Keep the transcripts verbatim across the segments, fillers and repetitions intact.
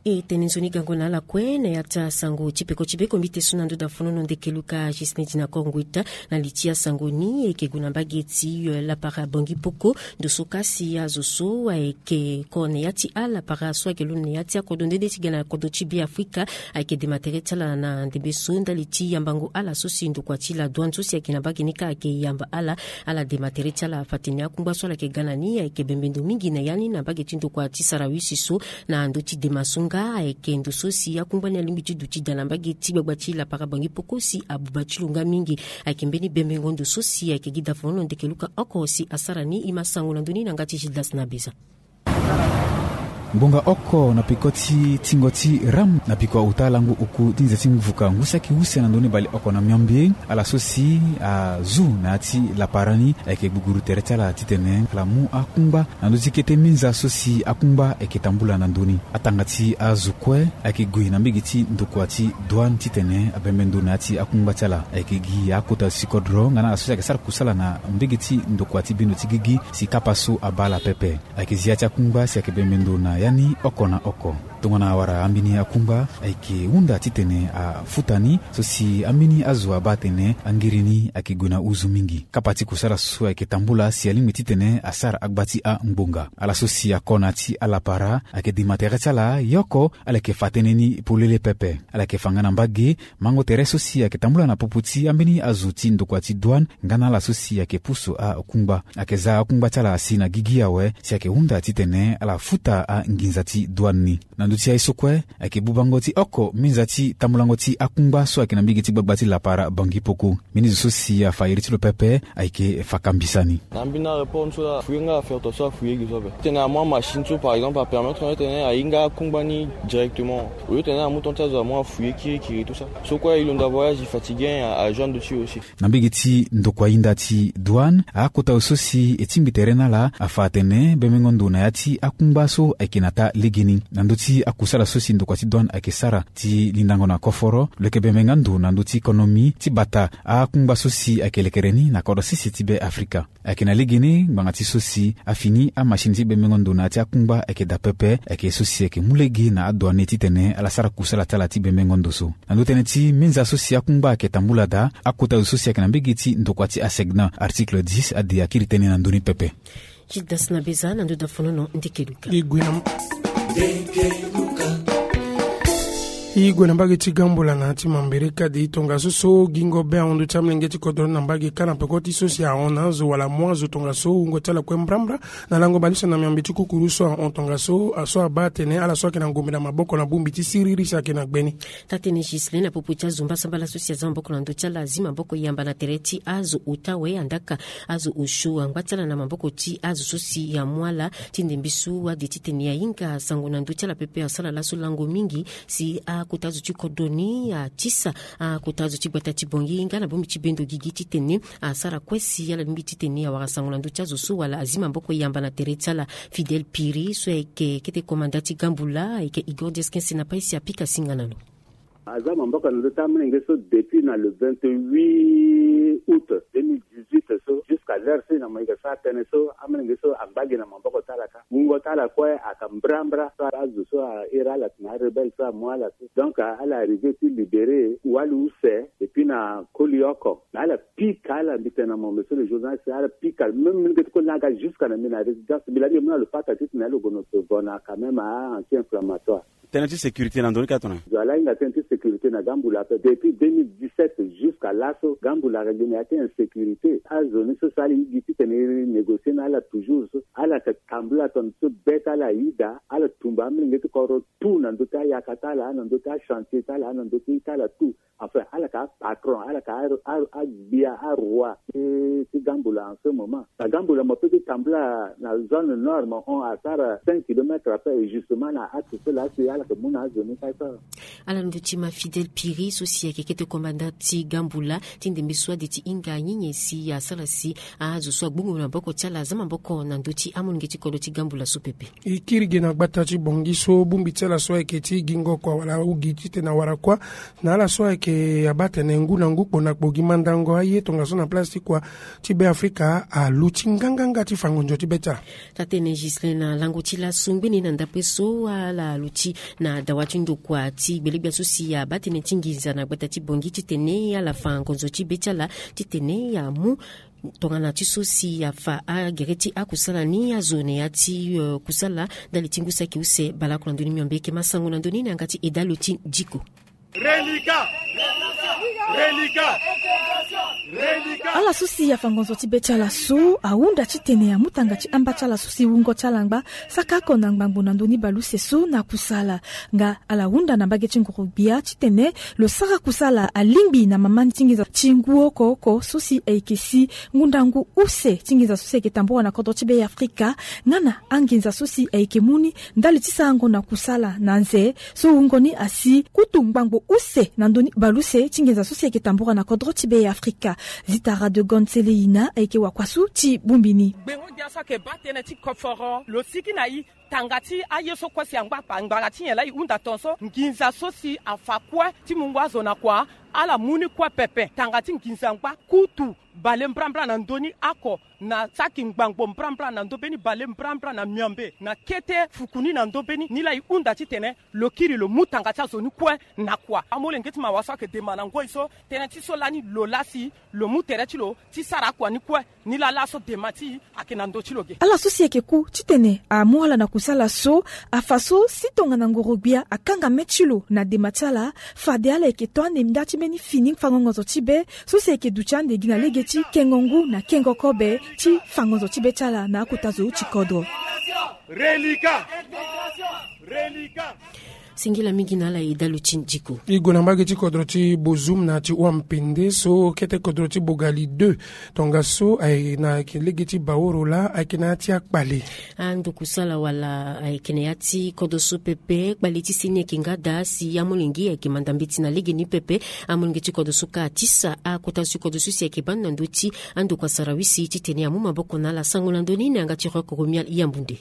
E tene nzoni gango na ala kue na ya ti asango ti peko ti be kombi te so na ndo da fonono ndeke luka Gislin Dinacor Ngueta. Na li ti asango ni e yeke gue na mbage ti lapara Bangui Poko. Ndo so kasi azo so ayeke ko na ya ti alapara so ayeke londo na ya ti akodro nde nde ti ga na kodro ti Be Afrika ayeke dema tere ti ala na ndembe so ndali ti yambango ala so si ndokua ti la douane so si ayeke na mbage ni kâ ayeke yamba ala. Ala dema tere ti ala afa atene akungba so ala yeke ga na ni ayeke bembe ndo mingi na ya ni na mbage ti ndokua ti Sarawi si so na ndö ti dema so nga ayeke ndo so si akungba ni alingbi ti duti daa na mbage ti gbagba ti lapara Bangui Poko si abuba ti lo nga mingi. Ayeke mbeni bembengo ndo so si ayeke gi da fonono ndeke luka oko si asara ni. E ma sango na ndö ni na yanga ti Gildas na Beza. Ngbonga oko na peko ti tingo ti ram na peko auta lango oku ti nze ti mvuka ngu saki use na ndö ni bale oko na miombe. Ala so si azu na ya ti lapara ni ayeke gbuguru tere ti ala titene ala mu akungba na ndö ti kete minza so si akungba ayeke tambula na ndö ni. Atanga ti azo kue ayeke gue na mbege ti ndokua ti douane titene abembe ndo na ya ti akungba ti ala. Ayeke gi akota sikodro nga na ala so si ayeke sara kusala na mbege ti ndokua ti bendo ti gigi si kapa so abaa ala pepe. Ayeke zi ya ti akungba si ayeke bembe ndo na ya ni oko na oko. Tongana awara ambeni akungba ayeke hunda titene afuta ni so si ambeni azo abaa atene angiri ni ayeke gue na huzu mingi. Kapa ti kusala so ayeke tambula si alingbi titene asara agba ti angbonga. Ala so si ako na ya ti alapara ayeke dema tere ti ala yoko. Ala yeke fa tënë ni polele pepe. Ala yeke fa nga na mbage mango tere so si ayeke tambula na popo ti ambeni azo ti ndokua ti douane nga na ala so si ayeke pusu akungba. Ayeke za akungba ti ala asi na gigi awe si ayeke hunda titene ala futa anginza ti douane ni. Na ndö ti aye so kue ayeke bubango ti oko minza ti tambulango ti akungba so ayeke na mbege ti gbagba ti lapara Bangui Poko. Mbeni zo so si afa iri ti lo pepe ayeke fa kambisa ni. Na mbeni areport ni so la afuye nga afere to so afuye gi so ape titene amu amachine so par exemple apermettre nga titene ahinga akungba ni directement. Au lieu titene amu temps ti azo amu afuye kirikiri tout ça. So kue e londo avoyage e fatigué ajoindre ti e aussi. Na mbege ti ndokua hinda ti douane akota zo so si e tingbi tere na ala afa atene bembengo ndo na ya ti akungba so ayeke na taa legeni. Na ndö ti akusala so si ndokua ti douane ayeke sara ti lindango na koforo lo yeke bembe nga ndo na ndö ti konomi ti bata akungba so si ayeke lekere ni na kodro sese ti Be Afrika. Ayeke na legeni ngbanga ti so si afini amachine ti bembengo ndo na ya ti akungba ayeke daa pepe. Ayeke so si ayeke mu lege na adouane titene ala sara kusala ti ala ti bembengo ndo so. Na ndö tënë ti minza so si akungba ayeke tambula daa akota zo so si ayeke na mbege ti ndokua ti asegna article dix ade akiri tënë na ndö ni pepe. Gildas na Beza na ndö da fonono ndeke luka. E gue na mbage ti Gambola na ya ti Mambere kade tongaso so gingo be ahon ndö ti amolenge ti kodro ni na mbage kâ na peko ti so si ahon na azo wala amu azo tongaso wungo ti ala kue mbrambra. Na lango bale use na miombe ti kukuru so ahon tongaso aso abaa atene ala so ayeke na ngombe na maboko na bongbi ti siriri si ayeke na gbe ni. Taa-tënë Ghislain na popo ti azo mbasambala so si aza maboko na ndö ti ala azi maboko yamba na tere ti azo ota awe andaka azo osio angba ti ala na maboko ti azo so si amu ala ti ndembe so ade titene ahinga sango na ndö ti ala pepe asara laso lango mingi si akota azo ti kodro ni atisa akota azo ti gbata ti Bangui nga na bongbi ti bendo gigi titene asara kue si ala lingbi titene awara sango na ndö ti azo so wala azi maboko yamba na tere ti ala. Fidèle Piri so ayeke kete komanda ti Gambula ayeke Igor Diasquin si na pai si apika singa na lo. Aza maboko na ndö ti amolenge so depuis na le vingt-huit août deux mille dix-huit so jusqu'à l'heure so na mo yeke sara tënë so amolenge so angba gi na maboko ti ala kâ. Wungo ti ala kue ayeke mbrambra so azo so a iri ala na arebelle so amu ala so. Donc ala arrivé ti libéré wali use. Et puis na koli oko na ala pika ala mbi tene na mo monsieur le journaliste ala pika même mbi leke ti koli na aga jusqu'à na mbi na résidence mbi laa mbi mu na lo pata titene lo gue na so vo na quand même a anti inflammatoire. Tënë ti sécurité na ndo ni ka tongana nyen? Zo ala hinga tënë ti sécurité na Gambula ape depuis deux mille dix-sept jusqu'à laso Gambula ayeke gi na ya ti insécurité. Azo ni so so ala higi titene e négocier na ala toujours so ala yeke tambula tongana so be ti ala ayi daa ala tumba amolenge ti kodro tout na ndö ti ayaka ti ala na ndö ti achantier ti ala na ndö ti ye ti ala tout. Enfin ala yeke apatron ala yeke agbia aroi ti Gambula en ce moment. Na Gambula mo peut ti tambula na zone nord mo hon asara cinq kilomètres ape et justement na axe so laa si ala yeke mu na azo ni kâ so. Ala ndö ti ma Fidèle Piri so si ayeke kete komanda ti Gambula ti ndembe so ade ti hinga nyenye si asara si azo so agbongo na maboko ti ala aza maboko na ndö ti amolenge ti kodro ti Gambula so pepe. E kiri ge na gbata ti Bangui so bongbi ti ala so ayeke ti gingo kua wala ugi titene awara kuâ na ala so ayeke abaa tene ngu na ngu kpo na kpo gi mandango aye tongaso na place ti kua ti Be Afrika aluti nganganga ti fango nzo ti be ti ala. Taa-tënë Ghislain na lango ti laso ngbeni na ndapre so ala luti Na dawa ti ndokua ti gbelegbia so si abaa tënë ti nginza na gbata ti Bongi titene ala fa ngonzo ti be ti ala titene amu tongana ti so si afa agere ti akusala ni azo na ya ti kusala ndali ti ngu saki use baleoko na ndö ni miombe. Yeke ma sango na ndö ni na yanga ti Edalo ti Diko. Relika. Relika. Relika. Ala so si afa ngonzo ti be ti ala so ahunda titene amu tanga ti amba ti ala so si wungo ti ala angba saka oko na ngbangbo na ndö ni baleuse so na kusala. Nga ala hunda na mbage ti nguru-gbia titene lo sara kusala alingbi na mama ni ti nginza ti ngu oko oko so si ayeke si ngu nda ngu use ti nginza so si ayeke tambura na kodro ti be ya Afrika, nga na anginza so si ayeke mu ni ndali ti sarango na kusala na nze so wungo ni asi kutu ngbangbo use na ndö ni baleuse ti nginza so si ayeke tambura na kodro ti be ya Afrika. Zitara de Gon Seleina ayeke wakua so ti bongbi ni. Gbengo-gbia so ayeke baa tënë ti koforo lo sigi na i tanga ti aye so kue si angba kpa ngbanga ti nyen laa e hunda tongaso nginza so si afa kue ti mungo azo na kua. Ala mu ni kue pepe tanga ti nginza angba kutu bale mbrambra na ndö ni oko na saki ngbangbo mbrambra na ndö mbeni bale mbrambra na miombe na kete fuku ni na ndö mbeni ni laa e hunda titene lo kiri lo mu tanga ti azo ni kue na kua. Amolenge ti mawa so ayeke dema na ngoi so tënë ti so lani lo laa si lo mu tere ti lo ti sara akua ni kue. Ni laa laso dema ti e ayeke na ndö ti lo ge. Ala so si ayeke ku titene amu ala na kusala so afa so si tongana ngoro-gbia akanga mê ti lo na dema ti ala. Fade ala yeke to ande nda ti mbeni fini fango ngonzo ti be so si ayeke duti ande gi na lege ti kengo ngu na kengo kobe ti fango ngonzo ti be ti ala na akota zo ti kodro. Relika. Relika. Singila mingi na ala e dalu ti ndiko. E gue na mbage ti kodro ti Bozoum na ti Ouampende so kete kodro ti Bogali deux tongaso ayeke na lege ti Baoro laa ayeke na ya ti akpale. Ando kusala wala ayeke na ya ti kodro so pepe kpale ti seni ayeke nga daa si amolenge ayeke manda mbeti na lege ni pepe. Amolenge ti kodro so kâ atisa akota zo ti kodro so si ayeke baa ni na ndö ti ando kua sarawisi titene amu maboko na ala sango na ndö ni na yanga ti Rock Romuald Yambunde.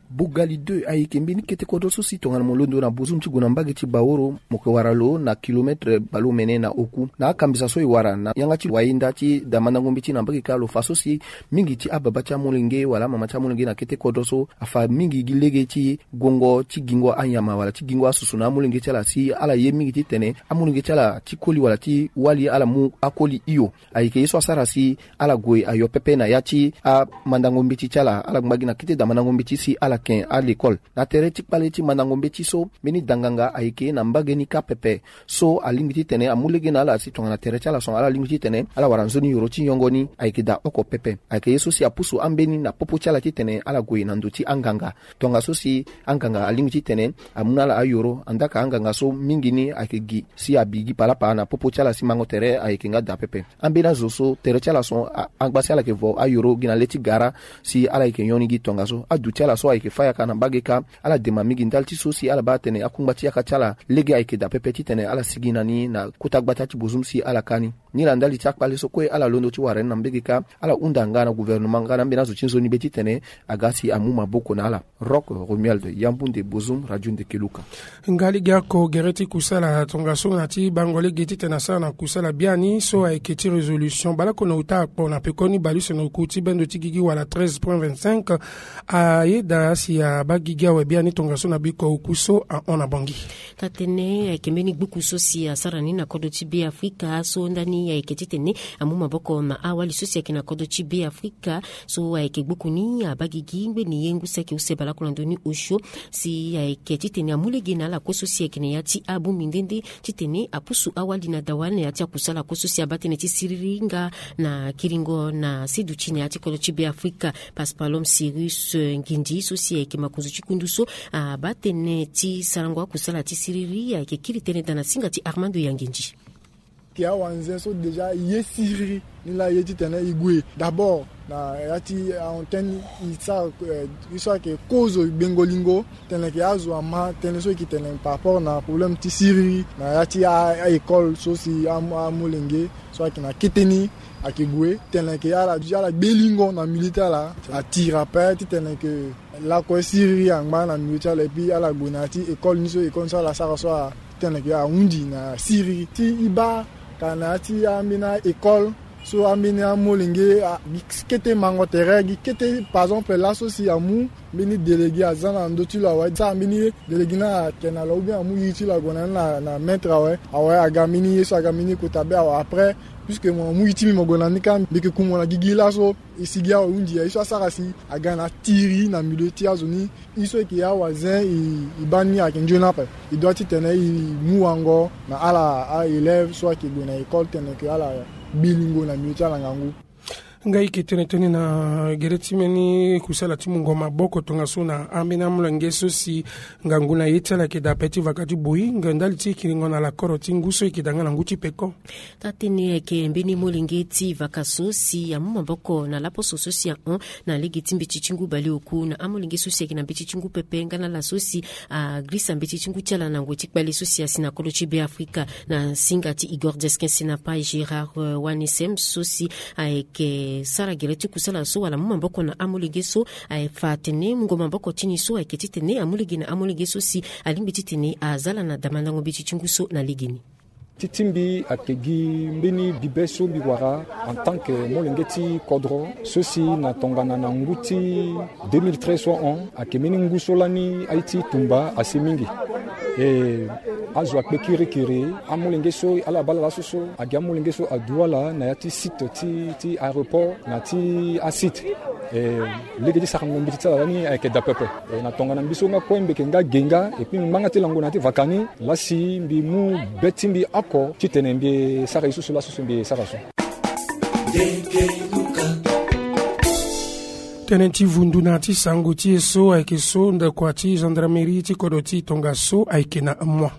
Bogali deux ayeke mbeni kete kodro so si tongana mo londo na Bozoum ti gue na mbage ti Baoro mo yeke wara lo na kilometre baleomene na oku na akambisa so e wara na yanga ti wayenda ti da mandango mbeti na mbage kâ lo fa so si mingi ti ababa ti amolenge wala amama ti amolenge na kete kodro so afa mingi gi lege ti guongo ti gingo anyama wala ti gingo asusu na amolenge ti ala si ala ye mingi titene amolenge ti ala ti koli wala ti wali ala mu akoli hio. Ayeke ye so asara si ala gue ayo pepe na ya ti amandango mbeti ti ala ala ngba gi na kete da mandango mbeti si ala ken alekole. Na tere ti kpale ti mandango mbeti so mbeni danganga ayeke na mbage ni kâ pepe so alingbi titene amu lege na ala si tongana tere ti ala so ala lingbi titene ala wara nzoni yoro ti nyongo ni ayeke daa oko pepe. Ayeke ye so si apusu ambeni na popo ti ala titene ala gue na ndo ti anganga. Tongaso si anganga alingbi titene amu na ala ayoro andaa ka anganga so mingi ni ayeke gi si abi gi palapa na popo ti ala si mango tere ayeke nga daa pepe. Ambeni azo so tere ti ala so angba si ala yeke vo ayoro gi na le ti gara si ala yeke nyon ni gi tongaso adu ti ala so ayeke fâ yaka na mbage kâ. Ala dema mingi ndali ti so si ala baa atene akungba ti yaka ti ala lege ayeke daa pepe titene ala sigi na ni na kota gbata ti Bozoum si ala kâ ni. Nilaa ndali ti akpale so kue ala londo ti wara ni na mbage kâ ala hunda nga na gouvernement nga na ambeni azo ti nzoni be titene aga si amu maboko na ala. Rock Romuald Yambunde, Bozoum, Radio Ndekeluka. Nga lege oko gere ti kusala tongaso na ti bango lege titene asara na kusala biani so ayeke ti résolution baleoko na ota akpo na pekoni baleuse na oku ti bendo ti gigi wala treize point vingt-cinq. Ayeda si abaa gigi awe biani tongaso na biko oku so ahon na Bangui. Ka tene ayeke mbeni gbuku so si asara ni na kodro ti Be Afrika so ndani ayeke titene amu maboko na awali so si ayeke na kodro ti Be Afrika so ayeke gbuku ni abaa gigi ngbeni ye ngu saki use baleoko na ndö ni osio si ayeke titene amu lege na ala kue so si ayeke na ya ti abongbi nde nde titene apusu awali na dawa na ya ti akusala kue so si abaa tënë ti siriri nga na kiringo na siduti na ya ti kodro ti Be Afrika. Paspalom Cyrus Nguindi so si ayeke makonzo ti kundu so abaa tënë ti sarango akusala ti siriri ayeke kiri tënë daa na singa ti Armando Yangindi. Ke awanze so déjà ye siriri ni laa ye titene e gue d'abord na ya ti ahon tënë e sara ye so ayeke kozo gbengo lingo titene ke azo ama tënë so e yeke tene par rapport na problème ti siriri na ya ti a-école so si amolenge so ayeke na kete ni ayeke gue titene ke ala gbe lingo na milieu ti ala atira ape titene ke lakue siriri angba na milieu ti ala epui ala gue na ya ti école ni so école ni so ala sara so atene ke ahundi na siriri ti e baa ka na ya ti ambeni a-école So ambeni amolenge gi kete mango tere gi kete par exemple laso si amu mbeni délégué aza na ndö ti lo awe sara mbeni délégué ni ayeke na lo ou bien amu iri ti lo ague na ni na maître awe awe aga mbeni ye so aga mbeni ye kota be awe après puisque mo amu iri ti mbi mo gue na ni kâ mbi yeke ku mo na gigi laso. E sigi awe hunzi aye so asara si aga na tiri na milieu ti azo ni. E so eke awa zen e baa ni ayeke nzoni ape. E doit titene e mu wango na ala a élève so ayeke gue na école tene ke ala bi lingo na milieu ti ala ngangu. Ngai yeke tene tënë na gere ti mbeni kusala ti mungo maboko tongaso na ambeni amolenge so si ngangu na ye ti ala ayeke daa ape ti vaka ti boi nge ndali ti kiringo na lakoro ti ngu so yeke daa nga na ngu ti peko. Taa-tënë ayeke mbeni molenge ti vaka so si amu maboko na laposo so si ahon na lege ti mbeti ti ngu bale oku na amolenge so si ayeke na mbeti ti ngu pepe nga na ala so si agirisa mbeti ti ngu ti ala na ngoi ti kpale so si asi na kodro ti Beafrika na singa ti Igor Deskin Senapai Gérard Wanesem so si ayeke sara gere ti kusala so wala amu maboko na amolenge so. Aye fa atene mungo maboko ti ni so ayeke titene amu lege na amolenge so si alingbi titene aza ala na damandango mbeti ti ngu so na legeni. Ti ti mbi ayeke gi mbeni bibe so mbi wara en tant que molenge ti kodro so si na tongana na ngu ti deux mille treize so ahon ayeke mbeni ngu so lani aye ti tumba asi mingi. E azo akpe kirikiri amolenge so ala baa ala laso so agi amolenge so adu ala na ya ti site ti ti aéroport na ti asite. E lege ti sarango mbeti ti ala lani ayeke daa pepe. E na tongana mbi so nga kue mbi yeke nga ge nga epui ngbanga ti lango na ya ti vaka ni lasi mbi mu be ti mbi oko titene mbi sara ye so so laso so mbi sara so. Tënë ti vundu na ya ti sango ti e so ayeke so ndokua ti gendarmerie ti kodro ti tongaso ayeke na moi.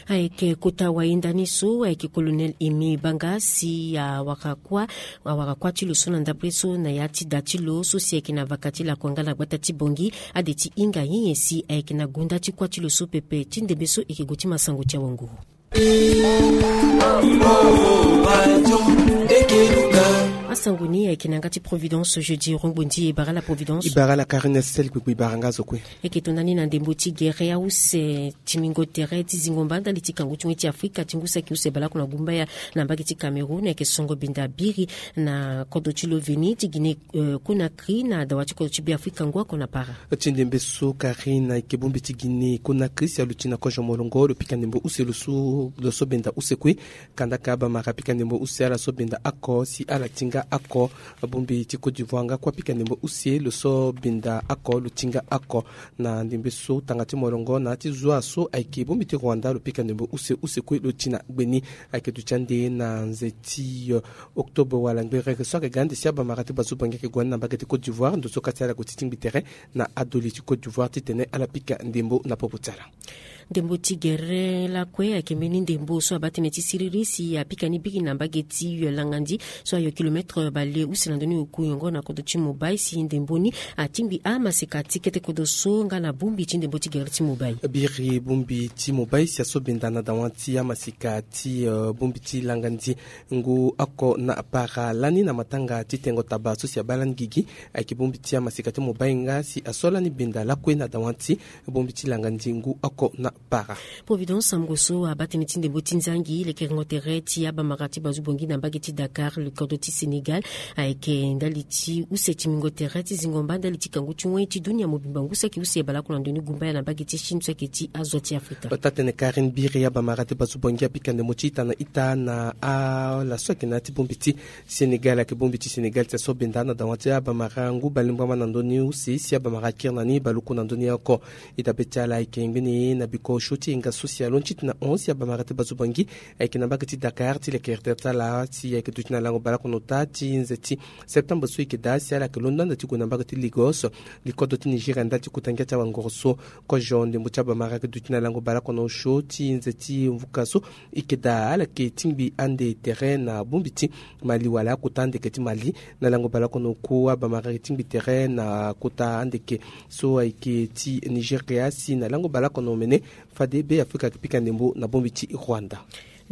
Ayeke kota wayenda ni so ayeke colonel Aimé Banga si awara kuâ awara kuâ ti lo so na ndapre so na ya ti da ti lo so si ayeke na vaka ti lakua nga na gbata ti Bangui ade ti hinga nyen nyen si ayeke na gonda ti kuâ ti lo so pepe ti ndembe so eke gue ti ma sango ti awanguru. Asango ni ayeke na yanga ti Providence jeudi rongbo ndi e bara la Providence. E bara la Karine Estelle Kpekpe e bara nga zo kue. Eke tonda ni na ndembo ti gere ause timingo tere ti zingo mba ndali ti kangu ti wen ti Afrika ti ngu saki use baleoko na gumbaya na mbage ti Cameroun ayeke songo benda biri na kodro ti lo veni ti Guinée Conakry na dawa ti kodro ti Beafrika ngu oko na para. Ti ndembe so Karine ayeke bongbi ti Guinée Conakry si aluti na kozo molongo lo pika ndembo use lo so lo so benda use kue. Kanda ka abamara pika ndembo use ala so benda oko si ala ti nga oko. Bongbi ti Côte d'Ivoire nga kue apika ndembo use lo so benda oko lo ti nga oko. Na ndembe so tanga ti molongo na ya ti zua so ayeke bongbi ti Rwanda lo pika ndembo use use kue lo ti na gbeni. Ayeke duti ande na nze ti octobre wala ngberere so ayeke ga ande si abamara ti bazubangi ayeke gue ni na mbage ti Côte d'Ivoire ndo so ka ti ala gue ti tingbi tere na adoli ti Côte d'Ivoire titene ala pika ndembo na popo ti ala. Ndembo ti gere lakue ayeke mbeni ndembo so abaa tënë ti siriri si apika ni biri na mbage ti yo langandi so ayo kilometre bale use na ndoni oku yongo na kodro ti Mobay si ndembo ni atingbi amaseka ti kete kodro so nga na bongbi ti ndembo ti gere ti Mobay. Biri bongbi ti Mobay si aso benda na dawa ti amaseka ti bongbi ti langandi ngu oko na para lani na matanga ti tengo taba so si abaa lani gigi. Ayeke bongbi ti amaseka ti Mobay nga si aso lani benda lakue na dawa ti bongbi ti langandi ngu oko na para. Providence sango so abaa tënë ti ndembo ti nzangi lekerengo tere ti abamara ti bazu bongi na mbage ti Dakar le kodro ti Sénégal ayeke ndali ti use timingo tere ti zingo mba ndali ti kangu ti wen ti dunia mobimba ngu saki use baleoko na ndoni gumbaya na mbage ti Chine so ayeke ti azo ti Afrika. Taa-tënë Karine Biri abamara ti bazu bongi apika ndembo ti ita na ita na ala so ayeke na ya ti bongbi ti Sénégal ayeke bongbi ti Sénégal ti aso benda na dawa ti abamara ngu balembwama na ndoni use si abamara akiri na ni baluku na ndoni oko. Ita be ti ala ayeke ngbene na biko osio ti yenga so si alondo ti tena hon si abamara ti bazu bongi ayeke na mbage ti Dakar ti lekere tere ti ala si ayeke duti na lango baleoko na ota ti nze ti septembre so e yeke daa si ala yeke londo ande ti gue na mbage ti Lagos. Likodo ti Nigeria ndali ti kota ngia ti awangoro so. Kozo ndembo ti abamara ayeke duti na lango baleoko na osio ti nze ti mvuka so e yeke daa ala yeke tingbi ande tere na bongbi ti Mali wala akota andeke ti Mali. Na lango baleoko na oku abamara ayeke tingbi tere na kota andeke so ayeke ti Nigeria si na lango baleoko na omene fade Beafrika ayeke pika ndembo na bongbi ti Rwanda.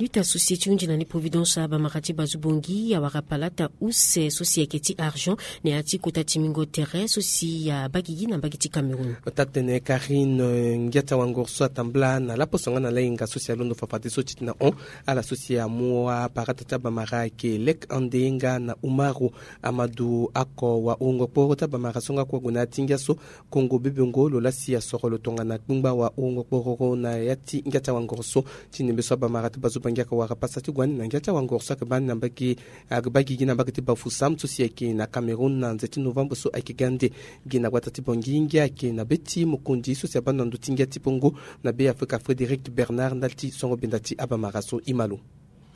Luta so si ti hunzi na ni Providence abamara ti bazu bongi awara palata use so si ayeke ti argent na ya ti kota ti mingo tere so si abaa gigi na mbage ti Cameroun. Tatene Karine, ngia ti awanguru so atambula na laposo nga na lahinga so si alondo fafadeso ti tena hon. Ala so si amu aparata ti abamara ayeke Lek Ande nga na Umaru Amadu, ako wahurungo kporo ti abamara so nga kue ague na ya ti ngia so. Kongo bebongo lo laa si asoro lo tongana kpingba wahurungo kpororo na ya ti ngia ti awanguru so. Ti nembe so abamara ti bazu bangi ayeke wara pasa ti gue ni na ngia ti awanguru so ayeke baa ni na mbage, ayeke baa gigi na mbage ti Bafoussam so si ayeke na Cameroun na nze ti novembre so ayeke ga ande. Gi na gbata ti Bangui ngia ayeke na be ti mokonzi so si abaa na ndo ti ngia ti Pongo na Be Afrika, Frédéric Bernard, ndali ti songo benda ti abamara so. Imalo.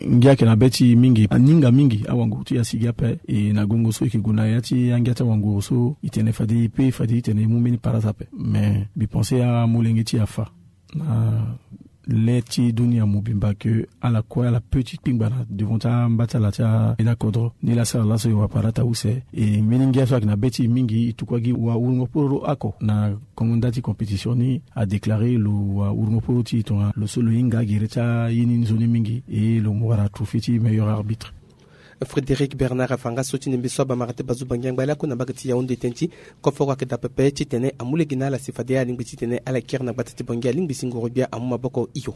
Ngia ayeke na be ti mingi, aninga mingi awanguru ti e asigi ape. E na gongo so e yeke gue na ya ti angia ti awanguru so, e tene fade e pe, fade e tene e mu mbeni parata ape. Me mbi pense amolenge ti e afa na le ti dunia mobimba ke ala kue ala pe ti kpingba na devant ti amba ti ala ti ambeni akodro. Nilaa asara laso e wara parata use. E mbeni ngia so ayeke na be ti e mingi, e tukua gi wahurungo kpororo ako na kongo nda ti compétition ni. Adéclaré lo wahurungo kporo ti e tongana lo so lo hinga agere ti aye ni nzoni mingi, e lo mu wara trophée ti meilleur arbitre. Frédéric Bernard afa nga so ti nembe so abamara ti bazu bangi angba lakue na mbage ti Yaoundé tënë ti koforo ayeke daa pepe titene amu lege na ala si fade alingbi titene ala kiri na gbata ti Bangui alingbi si ngoro gbia amu maboko hio.